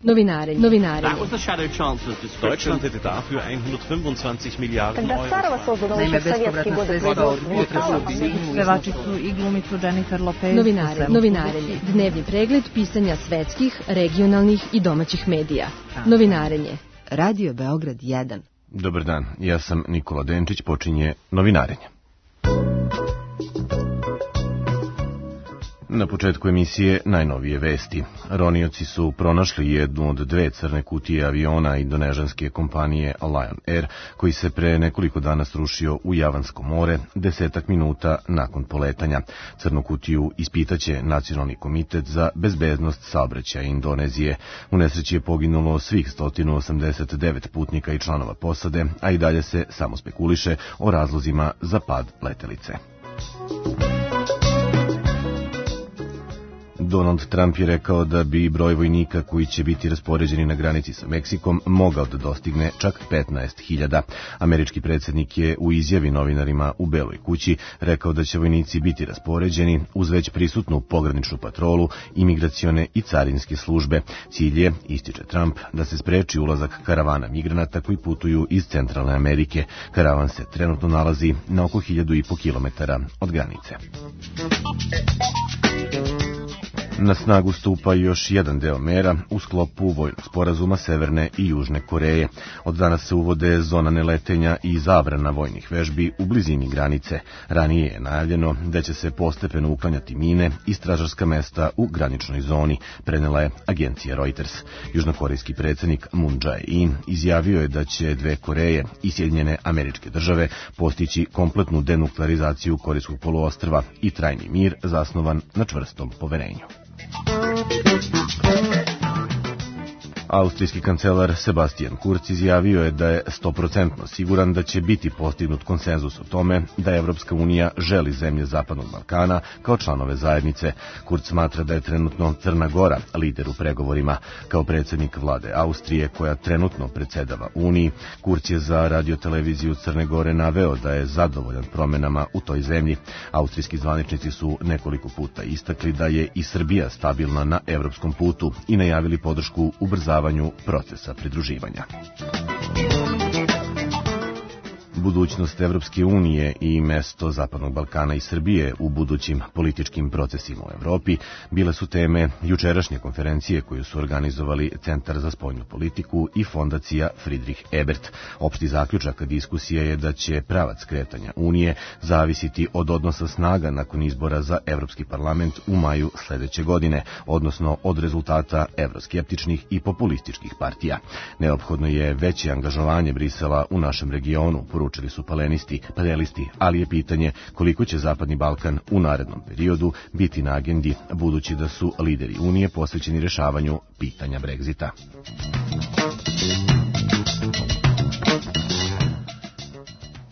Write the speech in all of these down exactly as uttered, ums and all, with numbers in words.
Novinarenje. Novinarenje. That was the shadow chancellor's description. Deutschland hätte dafür hundertfünfundzwanzig Milliarden Euro. Naime, bespovratna sredstva od pevačicu i glumicu Jennifer Lopez. Novinarenje. Novinarenje. Dnevni pregled pisanja svetskih, regionalnih i domaćih medija. Novinarenje. Radio Beograd jedan. Dobar dan, ja sam Nikola Denčić, počinje Novinarenje. Na početku emisije najnovije vesti. Ronioci su pronašli jednu od dve crne kutije aviona indonežanske kompanije Lion Air, koji se pre nekoliko dana srušio u Javansko more desetak minuta nakon poletanja. Crnu kutiju ispitaće Nacionalni komitet za bezbednost saobraćaja Indonezije. U nesreći je poginulo svih sto osamdeset devet putnika i članova posade, a i dalje se samo spekuliše o razlozima za pad letelice. Donald Trump je rekao da bi broj vojnika koji će biti raspoređeni na granici sa Meksikom mogao da dostigne čak petnaest hiljada. Američki predsjednik je u izjavi novinarima u Beloj kući rekao da će vojnici biti raspoređeni uz već prisutnu pograničnu patrolu, imigracione i carinske službe. Cilj je, ističe Trump, da se spreči ulazak karavana migranata koji putuju iz Centralne Amerike. Karavan se trenutno nalazi na oko hiljadu i po kilometara od granice. Na snagu stupa još jedan deo mera u sklopu vojnog sporazuma Severne i Južne Koreje. Od danas se uvode zona neletenja i zabrana vojnih vežbi u blizini granice. Ranije je najavljeno da će se postepeno uklanjati mine i stražarska mesta u graničnoj zoni, prenela je agencija Reuters. Južnokorejski predsjednik Moon Jae-in izjavio je da će dve Koreje i Sjedinjene Američke Države postići kompletnu denuklearizaciju Korejskog poluostrva i trajni mir zasnovan na čvrstom poverenju. Austrijski kancelar Sebastian Kurz izjavio je da je stoprocentno siguran da će biti postignut konsenzus o tome da Evropska unija želi zemlje Zapadnog Balkana kao članove zajednice. Kurz smatra da je trenutno Crna Gora lider u pregovorima. Kao predsjednik vlade Austrije, koja trenutno predsedava Uniji, Kurz je za radioteleviziju Crne Gore naveo da je zadovoljan promenama u toj zemlji. Austrijski zvaničnici su nekoliko puta istakli da je i Srbija stabilna na evropskom putu i najavili podršku ubrzavanju procesa pridruživanja. Budućnost Evropske unije i mesto Zapadnog Balkana i Srbije u budućim političkim procesima u Evropi bile su teme jučerašnje konferencije koju su organizovali Centar za spoljnu politiku i fondacija Friedrich Ebert. Opšti zaključak diskusije je da će pravac kretanja Unije zavisiti od odnosa snaga nakon izbora za Evropski parlament u maju sledeće godine, odnosno od rezultata evroskeptičnih i populističkih partija. Neophodno je veće angažovanje Brisela u našem regionu, poručili su panelisti, panelisti, ali je pitanje koliko će Zapadni Balkan u narednom periodu biti na agendi, budući da su lideri Unije posvećeni rešavanju pitanja Brexita.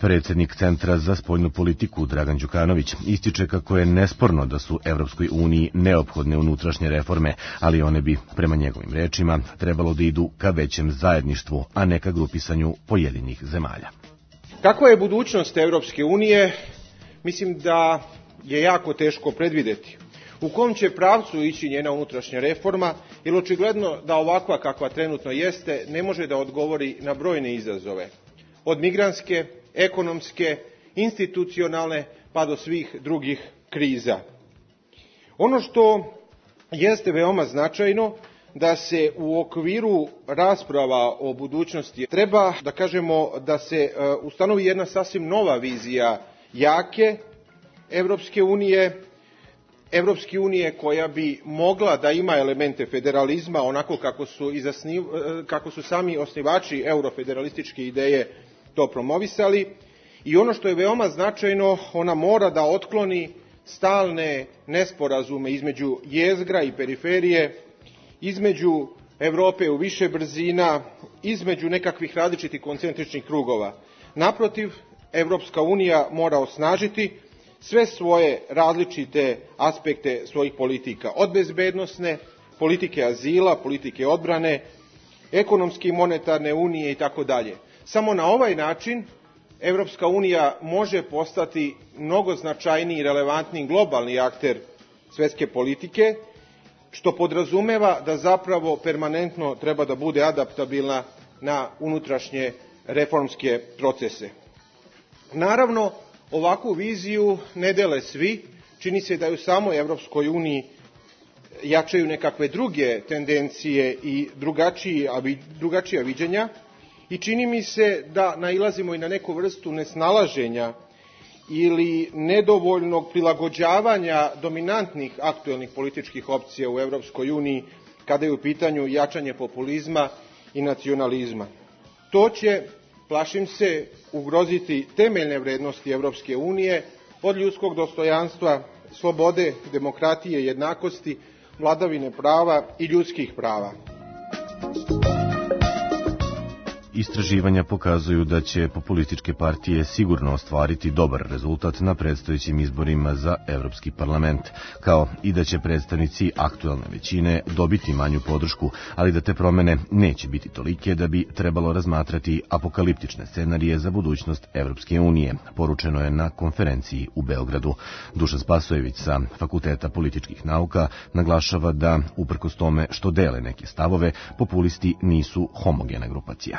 Predsjednik Centra za spoljnu politiku Dragan Đukanović ističe kako je nesporno da su Evropskoj uniji neophodne unutrašnje reforme, ali one bi, prema njegovim rečima, trebalo da idu ka većem zajedništvu, a ne ka grupisanju pojedinih zemalja. Kakva je budućnost Evropske unije? Mislim da je jako teško predvideti. U kom će pravcu ići njena unutrašnja reforma, jer očigledno da ovakva kakva trenutno jeste ne može da odgovori na brojne izazove. Od migrantske, ekonomske, institucionalne pa do svih drugih kriza. Ono što jeste veoma značajno, da se u okviru rasprava o budućnosti treba, da kažemo, da se ustanovi jedna sasvim nova vizija jake Evropske unije, Evropske unije koja bi mogla da ima elemente federalizma, onako kako su, i zasniv, kako su sami osnivači eurofederalističke ideje to promovisali. I ono što je veoma značajno, ona mora da otkloni stalne nesporazume između jezgra i periferije, između Evrope u više brzina, između nekakvih različitih koncentričnih krugova. Naprotiv, Evropska unija mora osnažiti sve svoje različite aspekte svojih politika, od bezbednosne, politike azila, politike odbrane, ekonomske i monetarne unije i tako dalje. Samo na ovaj način Evropska unija može postati mnogo značajniji i relevantniji globalni akter svetske politike što podrazumeva da zapravo permanentno treba da bude adaptabilna na unutrašnje reformske procese. Naravno, ovakvu viziju ne dele svi, čini se da i u samoj Evropskoj uniji jačaju nekakve druge tendencije i drugačija viđenja i čini mi se da nailazimo i na neku vrstu nesnalaženja ili nedovoljnog prilagođavanja dominantnih aktuelnih političkih opcija u Evropskoj uniji kada je u pitanju jačanje populizma i nacionalizma. To će, plašim se, ugroziti temeljne vrednosti Evropske unije od ljudskog dostojanstva, slobode, demokratije, jednakosti, vladavine prava i ljudskih prava. Istraživanja pokazuju da će populističke partije sigurno ostvariti dobar rezultat na predstojećim izborima za Evropski parlament, kao i da će predstavnici aktuelne većine dobiti manju podršku, ali da te promene neće biti tolike da bi trebalo razmatrati apokaliptične scenarije za budućnost Evropske unije, poručeno je na konferenciji u Beogradu. Dušan Spasojević sa Fakulteta političkih nauka naglašava da, uprkos tome što dele neke stavove, populisti nisu homogena grupacija.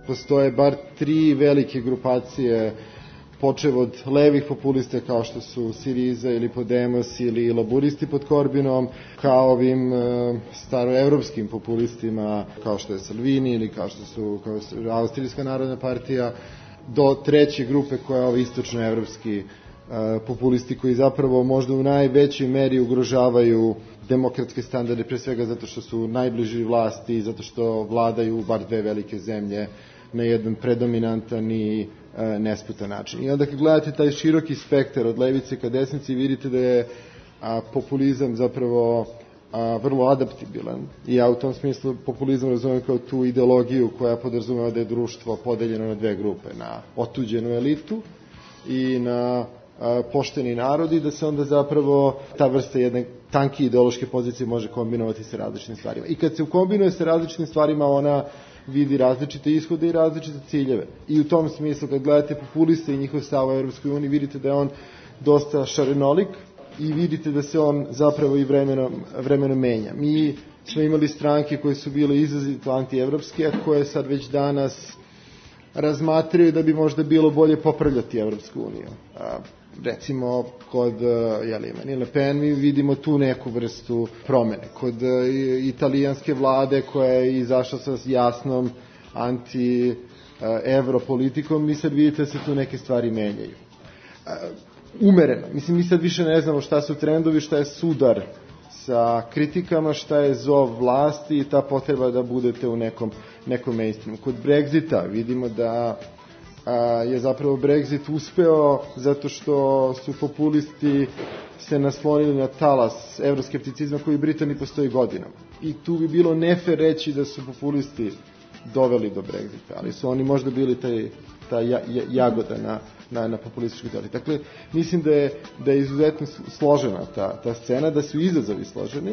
Postoje bar tri velike grupacije, počev od levih populista kao što su Siriza ili Podemos ili laburisti pod Korbinom, kao ovim e, staroevropskim populistima kao što je Salvini ili kao što su kao Austrijska narodna partija, do treće grupe koja je ovi istočnoevropski e, populisti koji zapravo možda u najvećoj meri ugrožavaju demokratske standarde, pre svega zato što su najbliži vlasti i zato što vladaju bar dve velike zemlje na jedan predominantan i e, nesputan način. I onda kad gledate taj široki spektar od levice ka desnici, vidite da je a, populizam zapravo a, vrlo adaptibilan. I ja u tom smislu populizam razumem kao tu ideologiju koja podrazumeva da je društvo podeljeno na dve grupe, na otuđenu elitu i na a, pošteni narod, i da se onda zapravo ta vrsta jedne tanke ideološke pozicije može kombinovati sa različitim stvarima. I kad se ukombinuje sa različitim stvarima, ona vidi različite ishode i različite ciljeve. I u tom smislu, kad gledate populiste i njihov stav u Evropskoj uniji, vidite da je on dosta šarenolik i vidite da se on zapravo i vremenom, vremenom menja. Mi smo imali stranke koje su bile izrazito antievropske, a koje sad već danas razmatraju da bi možda bilo bolje popravljati Evropsku uniju. A, recimo, kod jeli, Marine Le Pen mi vidimo tu neku vrstu promene. Kod italijanske vlade koja je izašla sa jasnom anti-evro politikom, mi sad vidite da se tu neke stvari menjaju. Umereno. Mislim, mi sad više ne znamo šta su trendovi, šta je sudar sa kritikama, šta je zov vlasti i ta potreba da budete u nekom, nekom mainstreamu. Kod Brexita vidimo da je zapravo Brexit uspeo zato što su populisti se naslonili na talas evroskepticizma koji u Britaniji postoji godinama. I tu bi bilo nefer reći da su populisti doveli do Brexita, ali su oni možda bili taj, ta jagoda na, na, na populističkoj teoriji. Dakle, mislim da je, da je izuzetno složena ta, ta scena, da su izazovi složeni.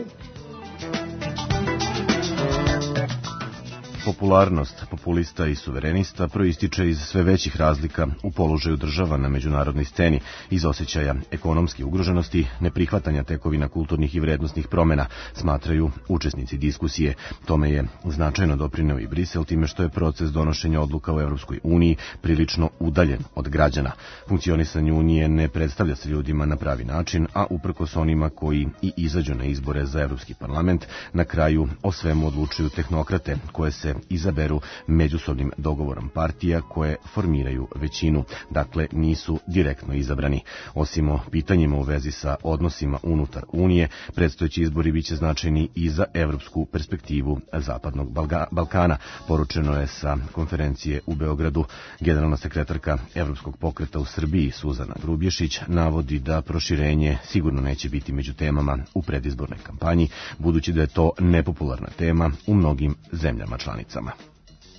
Popularnost populista i suverenista proističe iz sve većih razlika u položaju država na međunarodnoj sceni, iz osjećaja ekonomske ugroženosti, neprihvatanja tekovina kulturnih i vrednosnih promena, smatraju učesnici diskusije. Tome je značajno doprineo i Brisel time što je proces donošenja odluka u Evropskoj uniji prilično udaljen od građana. Funkcionisanje unije ne predstavlja se ljudima na pravi način, a uprkos onima koji i izađu na izbore za Evropski parlament, na kraju o svemu odlučuju tehnokrate koje se izaberu međusobnim dogovorom partija koje formiraju većinu, dakle nisu direktno izabrani. Osim o pitanjima u vezi sa odnosima unutar Unije, predstojeći izbori biće značajni i za evropsku perspektivu Zapadnog Balkana, poručeno je sa konferencije u Beogradu. Generalna sekretarka Evropskog pokreta u Srbiji Suzana Grubješić navodi da proširenje sigurno neće biti među temama u predizbornoj kampanji, budući da je to nepopularna tema u mnogim zemljama članicama.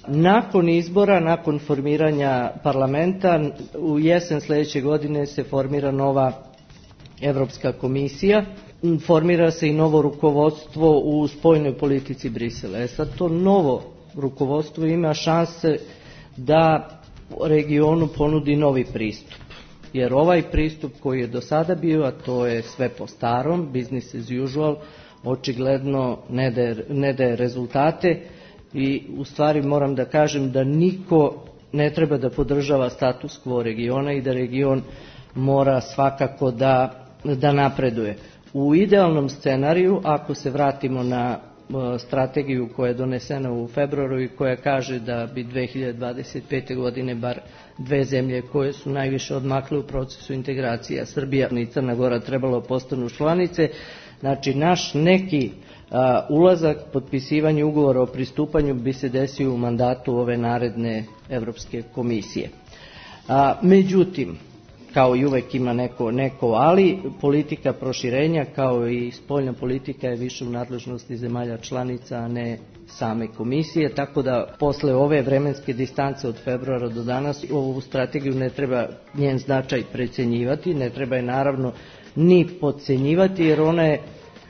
Nakon izbora, nakon formiranja parlamenta, u jesen sljedeće godine se formira nova Evropska komisija, formira se i novo rukovodstvo u spoljnoj politici Brisela. E sad to novo rukovodstvo ima šanse da regionu ponudi novi pristup. Jer ovaj pristup koji je do sada bio, a to je sve po starom, business as usual, očigledno ne daje, ne daje rezultate i u stvari moram da kažem da niko ne treba da podržava status quo regiona i da region mora svakako da, da napreduje. U idealnom scenariju, ako se vratimo na strategiju koja je donesena u februaru i koja kaže da bi dve hiljade dvadeset pete. godine bar dve zemlje koje su najviše odmakle u procesu integracija, Srbija i Crna Gora, trebalo postanu članice. Znači, naš neki a, ulazak, potpisivanje ugovora o pristupanju bi se desio u mandatu ove naredne Evropske komisije. A, međutim, kao i uvek ima neko, neko ali, politika proširenja kao i spoljna politika je više u nadležnosti zemalja članica, a ne same komisije, tako da posle ove vremenske distance od februara do danas ovu strategiju ne treba njen značaj precenjivati, ne treba je naravno ni podcenjivati, jer ona je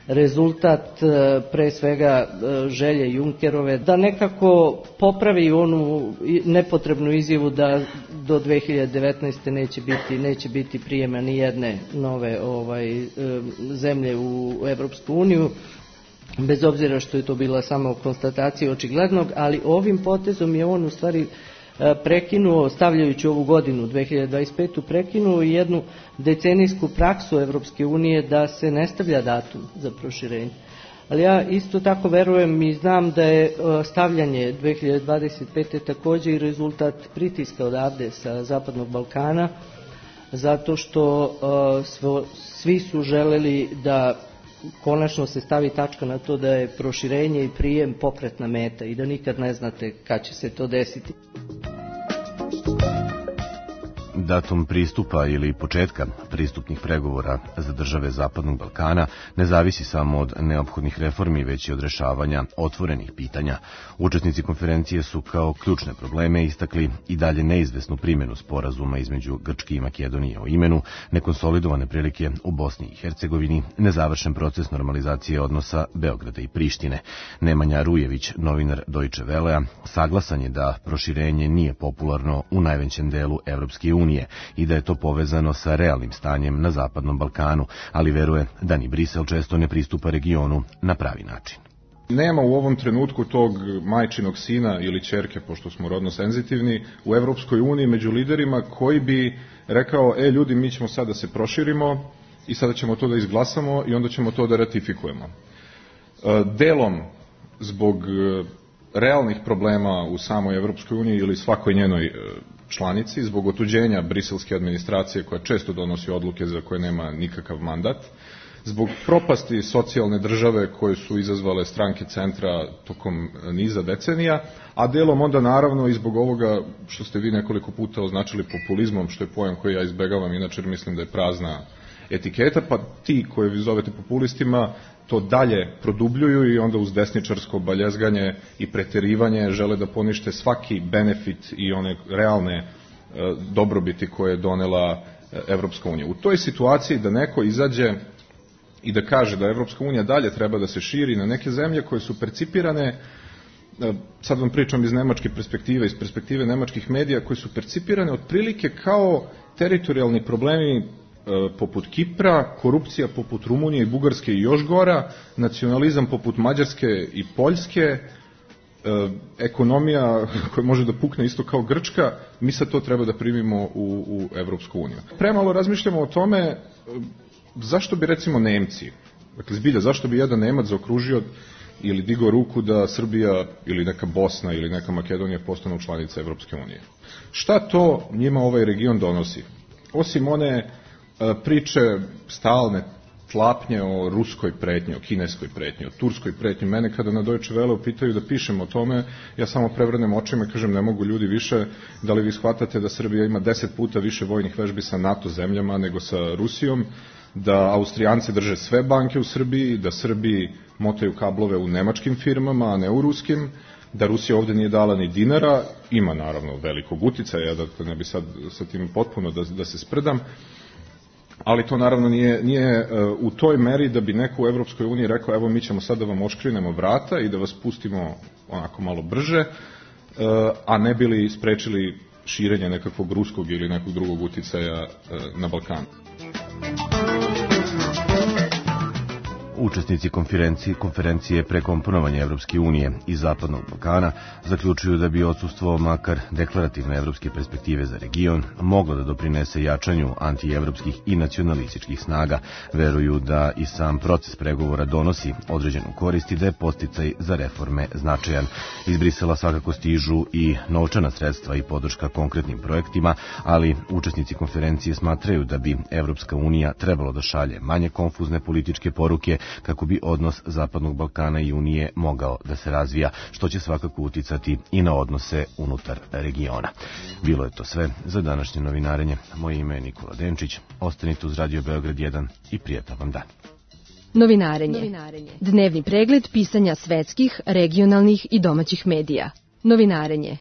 rezultat pre svega želje Junckerove da nekako popravi onu nepotrebnu izjavu da do dve hiljade devetnaeste. neće biti, neće biti prijema ni jedne nove ovaj, zemlje u Evropsku uniju, bez obzira što je to bila samo konstatacija očiglednog, ali ovim potezom je on u stvari prekinuo, stavljajući ovu godinu dve hiljade dvadeset petu. prekinuo jednu decenijsku praksu Evropske unije da se ne stavlja datum za proširenje. Ali ja isto tako verujem i znam da je stavljanje dve hiljade dvadeset pete. takođe i rezultat pritiska odavde sa Zapadnog Balkana, zato što svi su želeli da konačno se stavi tačka na to da je proširenje i prijem pokretna meta i da nikad ne znate kad će se to desiti. Datum pristupa ili početka pristupnih pregovora za države Zapadnog Balkana ne zavisi samo od neophodnih reformi, već i od rešavanja otvorenih pitanja. Učesnici konferencije su kao ključne probleme istakli i dalje neizvesnu primjenu sporazuma između Grčke i Makedonije o imenu, nekonsolidovane prilike u Bosni i Hercegovini, nezavršen proces normalizacije odnosa Beograda i Prištine. Nemanja Rujević, novinar Deutsche Wellea, saglasan je da proširenje nije popularno u najvećem delu Evropske unije i da je to povezano sa realnim stanjem na Zapadnom Balkanu, ali veruje da ni Brisel često ne pristupa regionu na pravi način. Nema u ovom trenutku tog majčinog sina ili ćerke, pošto smo rodno senzitivni, u Evropskoj uniji među liderima koji bi rekao, e ljudi, mi ćemo sad da se proširimo i sada ćemo to da izglasamo i onda ćemo to da ratifikujemo. Delom zbog realnih problema u samoj Evropskoj uniji ili svakoj njenoj članici, zbog otuđenja briselske administracije koja često donosi odluke za koje nema nikakav mandat, zbog propasti socijalne države koje su izazvale stranke centra tokom niza decenija, a delom onda naravno i zbog ovoga što ste vi nekoliko puta označili populizmom, što je pojam koji ja izbegavam, inače mislim da je prazna etiketa, pa ti koje vi zovete populistima to dalje produbljuju i onda uz desničarsko baljezganje i preterivanje žele da ponište svaki benefit i one realne e, dobrobiti koje je donela Evropska unija. U toj situaciji da neko izađe i da kaže da Evropska unija dalje treba da se širi na neke zemlje koje su percipirane, e, sad vam pričam iz nemačke perspektive, iz perspektive nemačkih medija, koje su percipirane otprilike kao teritorijalni problemi poput Kipra, korupcija poput Rumunije i Bugarske i još gora, nacionalizam poput Mađarske i Poljske, ekonomija koja može da pukne isto kao Grčka, mi sad to treba da primimo u, u Evropsku uniju. Premalo razmišljamo o tome zašto bi recimo Nemci, dakle zbilja, zašto bi jedan Nemac zaokružio ili digao ruku da Srbija ili neka Bosna ili neka Makedonija postanu članice Evropske unije. Šta to njima ovaj region donosi? Osim one priče stalne tlapnje o ruskoj pretnji, o kineskoj pretnji, o turskoj pretnji. Mene kada na Deutsche Welleu pitaju da pišem o tome, ja samo prevrnem očima i kažem ne mogu ljudi više, da li vi shvatate da Srbija ima deset puta više vojnih vežbi sa NATO zemljama nego sa Rusijom, da Austrijanci drže sve banke u Srbiji, da Srbiji motaju kablove u nemačkim firmama, a ne u ruskim, da Rusija ovde nije dala ni dinara, ima naravno velikog uticaja, da ne bi sad sa tim potpuno da, da se sprdam, ali to naravno nije, nije u toj meri da bi neko u Evropskoj uniji rekao evo mi ćemo sad da vam oškrinemo vrata i da vas pustimo onako malo brže, a ne bili sprečili širenje nekakvog ruskog ili nekog drugog uticaja na Balkanu. U učesnici konferencije, konferencije prekomponovanja Evropske unije i Zapadnog Balkana zaključuju da bi odsustvo makar deklarativne evropske perspektive za region moglo da doprinese jačanju antievropskih i nacionalističkih snaga. Veruju da i sam proces pregovora donosi određenu korist i da je podsticaj za reforme značajan. Iz Brisela svakako stižu i novčana sredstva i podrška konkretnim projektima, ali učesnici konferencije smatraju da bi Evropska unija trebalo da šalje manje konfuzne političke poruke kako bi odnos Zapadnog Balkana i Unije mogao da se razvija, što će svakako uticati i na odnose unutar regiona. Bilo je to sve za današnje novinarenje. Moje ime je Nikola Denčić. Ostanite uz Radio Beograd jedan i prijatan vam dan. Novinarenje. Dnevni pregled pisanja svetskih, regionalnih i domaćih medija. Novinarenje.